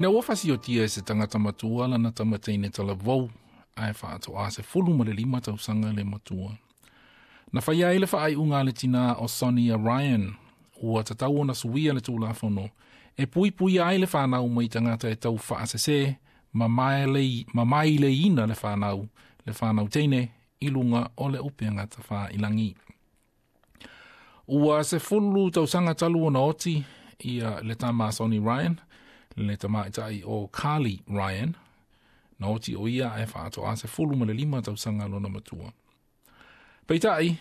Na ua fasiotia e se tagata matua lana tamateine talavou ae faatoa 15 tausaga le matua. Na faia ai le faaiuga a le tinā o Sonia Ryan, ua tatau ona suia le Tulafono e puipuia ai le fanau mai tagata e tau faasese ma maileiina le fanau teine i luga o le upega tafailagi. Ua 10 tausaga talu ona oti ia le tama Sonny Ryan, le tamaitai o Carly Ryan, na oti o ia ae faatoa 15 tausaga lona matua. Peitai,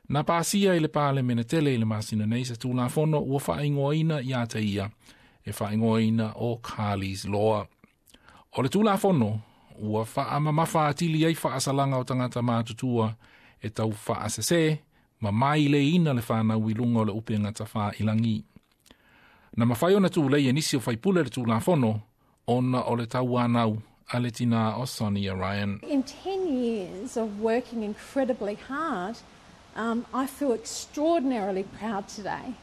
na pasia i le Palemene tele i le masina nei se Tulafono ua faaigoaina ia te ia, e faaigoaina o Carly's Law. O le Tulafono, ua faamamafa atili ai faasalaga o tagata matutua e tau faasese ma maileina le fanau i luga o le upega tafailagi. Na mafai ona tulei e nisi o faipule le Tulafono ona o le tauanau a le tinā o Sonia Ryan. In 10 years of working incredibly hard, I feel extraordinarily proud today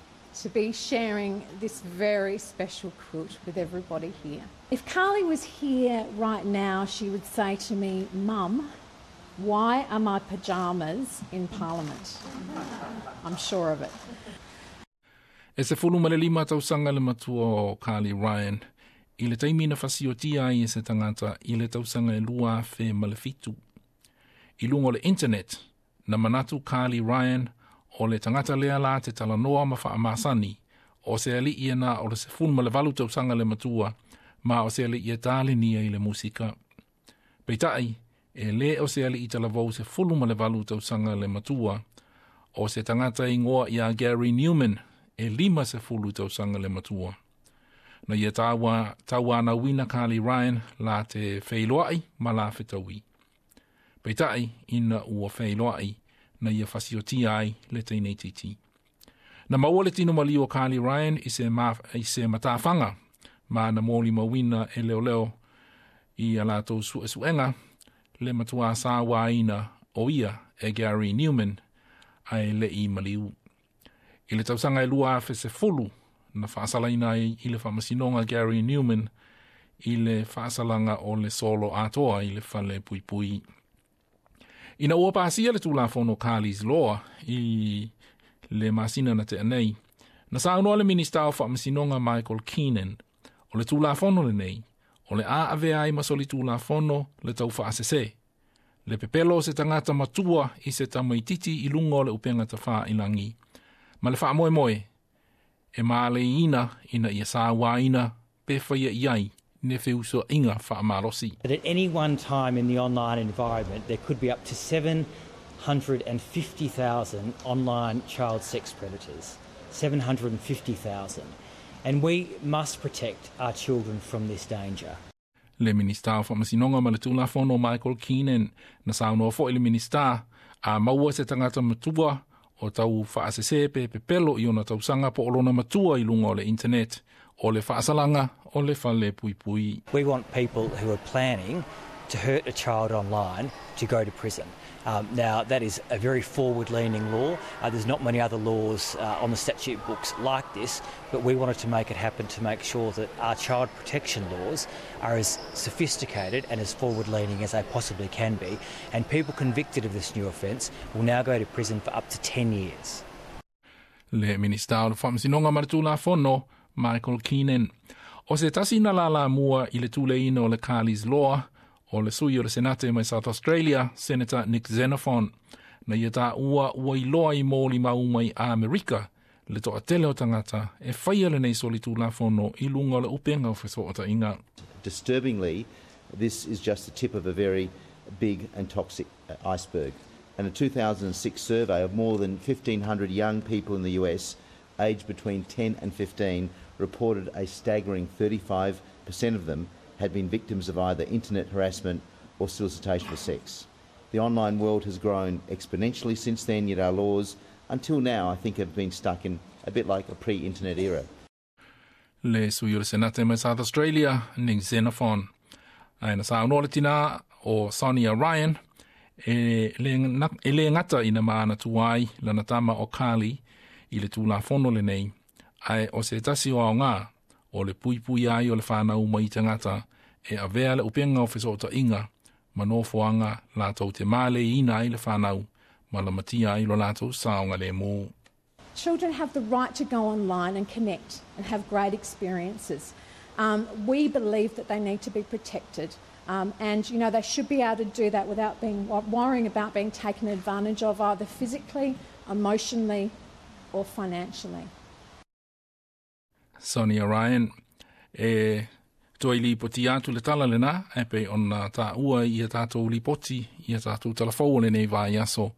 to be sharing this very special quilt with everybody here. If Carly was here right now, she would say to me, "Mum, why are my pyjamas in Parliament?" I'm sure of it. E 15 tausaga le matua o Carly Ryan i le taimi na fasiotia ai e se tagata i le tausaga e 2007. I luga o le internet, na manatu Carly Ryan o le tagata lea la te talanoa ma faamasani, o se alii na o le 18 tausaga le matua, ma o se alii e talenia i le musika. Peitai, e le o se alii talavou 18 tausaga le matua, o se tagata ingoa ia Gary Newman, e 50 tausaga le matua. Na ia tauanauina Carly Ryan la te feiloai ma la fetaui. Peitai, ina ua feiloai, na ia fasiotia ai le teine itiiti. Na maua le tino maliu o Carly Ryan i se matafaga, ma na molimauina e leoleo i a latou suesuega le matua sauaina o ia e Gary Newman ae le i maliu. I le tausaga e 2010, na faasalaina ai i le faamasinoga Gary Newman i le faasalaga o le solo atoa i le fale puipui. Ina ua pasia le Tulafono Carly's Law i le masina na tea nei, na saunoa le Minista o Faamasinoga Michael Keenan, o le Tulafono lenei, o le a avea ai ma soli Tulafono le tau faasese, le pepelo o se tagata matua i se tamaititi i luga o le upega tafailagi, ma le faamoemoe, e maleiina ina ia sauaina pe faia i ai ne feusoaiga faamalosi. At any one time in the online environment, there could be up to 750,000 online child sex predators. 750,000. And we must protect our children from this danger. Le Minista o Faamasinoga ma le Tulafono Michael Keenan. Na saunoa foi le Minista, a maua se tagata matua o tau faasese pe pepelo i ona tausaga po o lona matua i luga o le internet, o le faasalaga o le fale puipui. We want people who are planning to hurt a child online to go to prison. Now, that is a very forward leaning law. There's not many other laws on the statute books like this, but we wanted to make it happen to make sure that our child protection laws are as sophisticated and as forward leaning as they possibly can be. And people convicted of this new offence will now go to prison for up to 10 years. Le Minista o le Faamasinoga ma le Tulafono Michael Keenan. O se tasi na lalamua i le tuleina o le Carly's Law, o le sui o le Senate mai South Australia, Senator Nick Xenophon. Na ia taua ua iloa i molimau mai Amerika le toatele o tagata e faia lenei soli Tulafono i luga o le upega o fesootaiga. Disturbingly, this is just the tip of a very big and toxic iceberg. And a 2006 survey of more than 1,500 young people in the US aged between 10 and 15 reported a staggering 35% of them had been victims of either internet harassment or solicitation for sex. The online world has grown exponentially since then, yet our laws, until now, I think have been stuck in a bit like a pre-internet era. Le sui o le Senate mai South Australia, Nick Xenophon. Ae na saunoa le tinā o Sonia Ryan, e le gata ina manatua ai lana tama o Carly i le Tulafono lenei, ae o se tasi o aoga o O le puipuia ai o le fanau mai tagata e avea le upega o fesootaiga ma nofoaga latou te maleiina ai le fanau ma lamatia ai lo latou saogalemu. Children have the right to go online and connect and have great experiences. We believe that they need to be protected. And, you know, they should be able to do that without being worrying about being taken advantage of either physically, emotionally or financially. Sonia Ryan e toe lipoti atu le tala lena e pei ona taua i a tatou lipoti i a tatou talafou o lenei vaiaso.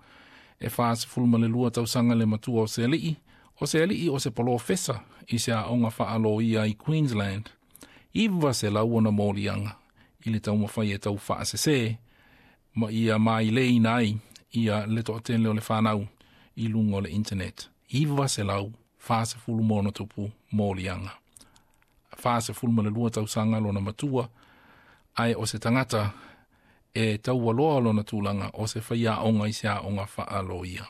E 42 tausaga le matua o se alii, o se alii o se polofesa i se aoga faaloia i Queensland. 900 ona moliaga i le taumafai e tau faasese ma ia maileina ai ia le toatele o le fanau i luga o le internet. 940+ moliaga. 42 tausaga lona matua, ae o se tagata e taualoa lona tulaga o se faiaoga i se aoga faaloia.